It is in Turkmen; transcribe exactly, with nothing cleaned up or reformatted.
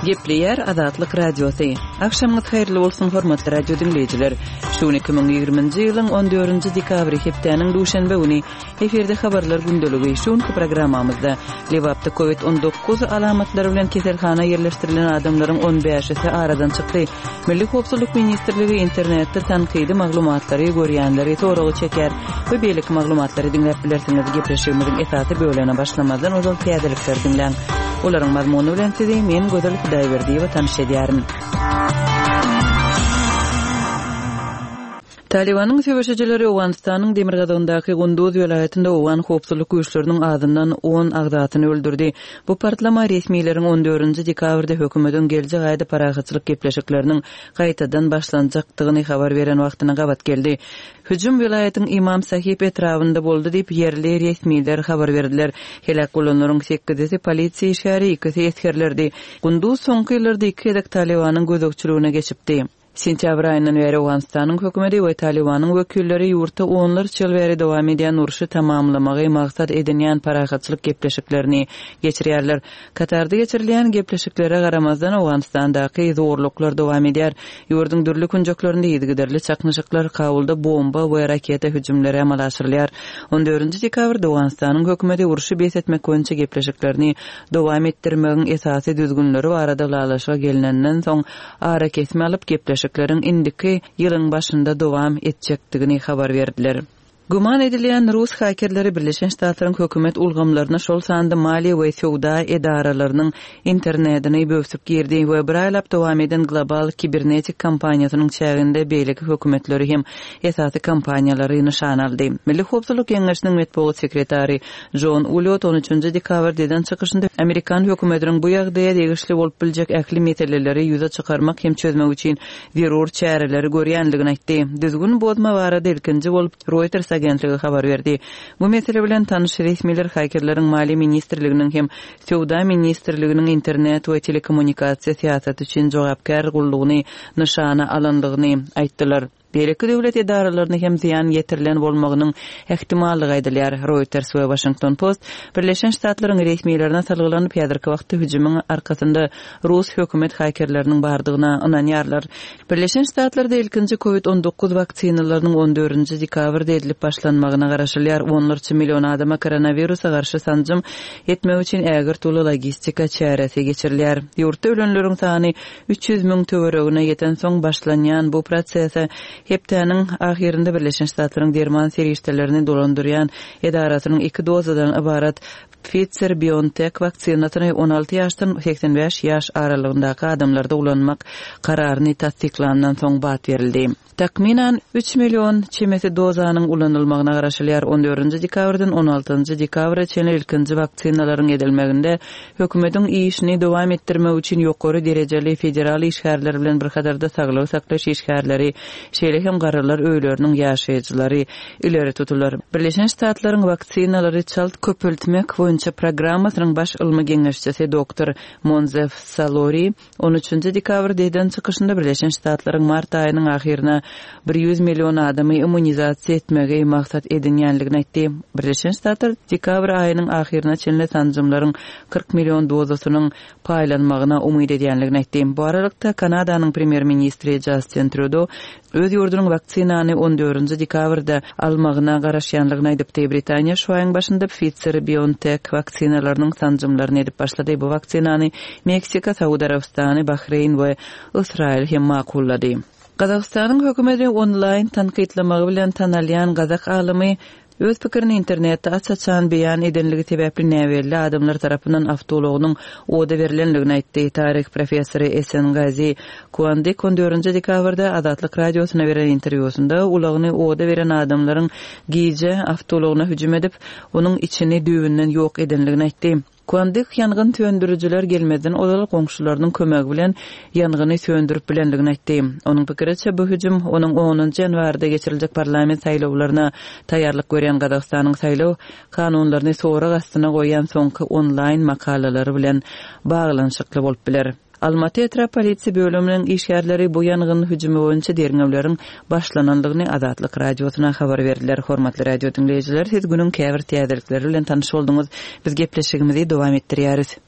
Gepleýär Azatlyk Radiosy. Agşamyňyz haýyrly bolsun, hormatly radio diňleýjiler. Şu gün iki müň ýigriminji ýylyň on dördünji dekabry, hepdäniň duşenbe güni. Efirde habarlar gündeligi. Şu günki programmamyzda Lebapda Covid on dokuz alamatlary bilen keselhana ýerleşdirilen adamlaryň on bäşisi aradan çykdy. Milli howpsuzlyk ministrligi internetde tankydy maglumatlary görýänleri soraga çeker we beýleki maglumatlary diňläp bilersiňiz. Gepleşigimiziň esasy bölegine başlamazdan ozal täzelikleri diňläň. Olaryň mazmuny bilen sizi men Gözel Hudaýberdiýewa tanyş edýärin. Talybanyň söweşijileri Owganystanyň demirgazygyndaky Gunduz welaýatynda owgan howpsuzlyk güýçleriniň azyndan on agzasyny öldürdi. Bu partlama resmileriň on dördünji dekabrda hökümetiň geljek aýda parahatçylyk gepleşikleriniň gaýtadan başlanjakdygyny habar beren wagtyna gabat geldi. Hüjüm welaýatyň Imam Sahib etrabynda boldy diýip, ýerli resmiler habar berdiler. Heläk bolanlaryň sekizisi polisiýa işgäri, ikisi esgerlerdi. Gunduz soňky ýyllarda iki gezek Talybanyň gözegçiligine geçipdi. Sentýabr aýyndan bäri Owganystanyň hökümeti we Talybanyň wekilleri ýurtda onlarça ýyl bäri dowam edýän urşy tamamlamagy maksat edinýän parahatçylyk gepleşiklerini geçirýärler. Katarda geçirilýän gepleşiklere garamazdan Owganystandaky zorluklar dowam edýär. Ýurduň dürli künjeklerinde yzygiderli çaknyşyklar, Kabulda bomba we raketa hüjümleri amala aşyrylýar. On dördünji dekabrda Owganystanyň hökümeti urşy bes etmek boýunça gepleşiklerini dowam etdirmegiň esasy düzgünleri barada ylalaşyga gelnenden soň arakesme alyp gepleşikleriň indiki ýylyň başynda dowam etjekdigini habar berdiler. Güman edilýän rus hakerleri Birleşen Ştatlaryň hökümet ulgamlaryna, şol sanda maliýe we söwda edaralarynyň internetini böwsüp girdi we bir aýlap dowam eden global kibernetik kampaniýasynyň çäginde beýleki hökümetleri hem esasy kompaniýalary nyşana aldy. Milli howpsuzlyk geňeşiniň metbugat sekretary Jon Uliot on üçünji dekabrda eden çykyşynda Amerikan hökümetiniň bu ýagdaýa degişli bolup biljek ähli meseleleri ýüze çykarmak hem çözmek üçin zerur çäreleri görýändigini aýtdy. Düzgün bozma barada ilkinji bolup Reuters agentligi habar berdi. Bu mesele bilen tanyş resmiler hakerleriň Maliýe ministrliginiň hem Söwda ministrliginiň internet we telekommunikasiýa syýasaty üçin jogapkär gullugyny nyşana alandygyny aýtdylar. Beýleki döwlet edaralaryna hem zyýan ýetirilen bolmagynyň ähtimallygy aýdylýar. Reuters we Washington Post Birleşen Ştatlaryň resmilerine salgylanyp, häzirki wagtda hüjümiň arkasynda rus hökümet hakerleriniň bardygyna ynanýarlar. Birleşen Ştatlarda ilkinji Covid on dokuz waksinalarynyň on dördünji dekabrda edilip başlanmagyna garaşylýar. Onlarça million adama koronawirusa garşy sanjym etmek üçin ägirt uly logistika çäresi geçirilýär. Ýurtda ölenleriň sany üç ýüz müň töweregine ýetensoň başlanýan bu prosese hepdäniň ahyrynda Birleşen Ştatlaryň derman serişdelerini dolandyrýan edarasynyň iki dozadan ybarat Pfizer-BioNTech waksinasyny on alty ýaşdan seksen bäş ýaş aralygyndaky adamlarda ulanmak kararyny tassyklandan soň bat berildi. Takmynan üç million çemesi dozanyň ulanylmagyna garaşylýar. On dördünji dekabrdan on altynjy dekabra çenli ilkinji waksinalaryň edilmeginde hökümetiň işini dowam etdirmek üçin ýokary derejeli federal işgärler bilen bir hatarda saglygy saklaýyş işgärleri, şeýle hem garrylar öýleriniň ýaşaýjylary ileri tutular. Birleşen Ştatlaryň waksinalary çalt köpeltmek boýunça programmasynyň baş ylmy geňeşçisi doktor Monzef Salori on üçünji dekabrda eden çykyşynda Birleşen Ştatlaryň mart aýynyň ahyryna bir ýüz million adamy immunizasiýa etmegi maksat edinýänligini aýtdy. Birleşen Ştatlar dekabr aýynyň ahyryna çenli sanjymlaryň kyrk million dozasynyň paýlanmagyna umyt edýänligini aýtdy. Bu aralykda Kanadanyň premýer-ministri Justin Trudeau öz ýurdunyň waksinany on dördünji dekabrda almagyna garaşýanlygyny aýdypdy. Britaniýa şu aýyň başynda Pfizer-BioNTech waksinalarynyň sanjymlaryny edip başlady. Bu waksinany Meksika, Saud Arabystany, Bahreýn we Ysraýyl hem makullady. Gazagystanyň hökümeti onlaýn tankytlamagy bilen tanalýan gazak alymy öz pikirini internetde aç-açan beýan edenligi sebäpli näbelli adamlar tarapyndan awtoulagynyň oda berilenligini aýtdy. Taryh professory Esen Gazi Kuandyk on dördünji dekabrda Azatlyk radiosyna beren interwýusynda ulagyny oda beren adamlaryň gije awtoulagyna hüjüm edip, onuň içini düýbünden ýok edenligini aýtdy. Kuandyk ýangyn söndürijiler gelmezden ozal goňşularynyň kömegi bilen ýangyny söndürip bilenligini aýtdy. Onuň pikiriçe bu hüjüm onuň onunjy ýanwarda geçiriljek parlament saýlawlaryna taýýarlyk görýän Gazagystanyň saýlaw kanunlaryny sorag astyna goýýan soňky onlaýn makalalary bilen baglanyşykly bolup biler. Almaty etrap polisiýa bölüminiň işgärleri bu ýangyn hüjümi boýunça derňewleriň başlanandygyny Azatlyk radiosyna habar berdiler. Hormatly radio diňleýjiler, siz günüň käbir täzelikleri bilen tanyş bolduňyz. Biz gepleşigimizi dowam etdirýäris.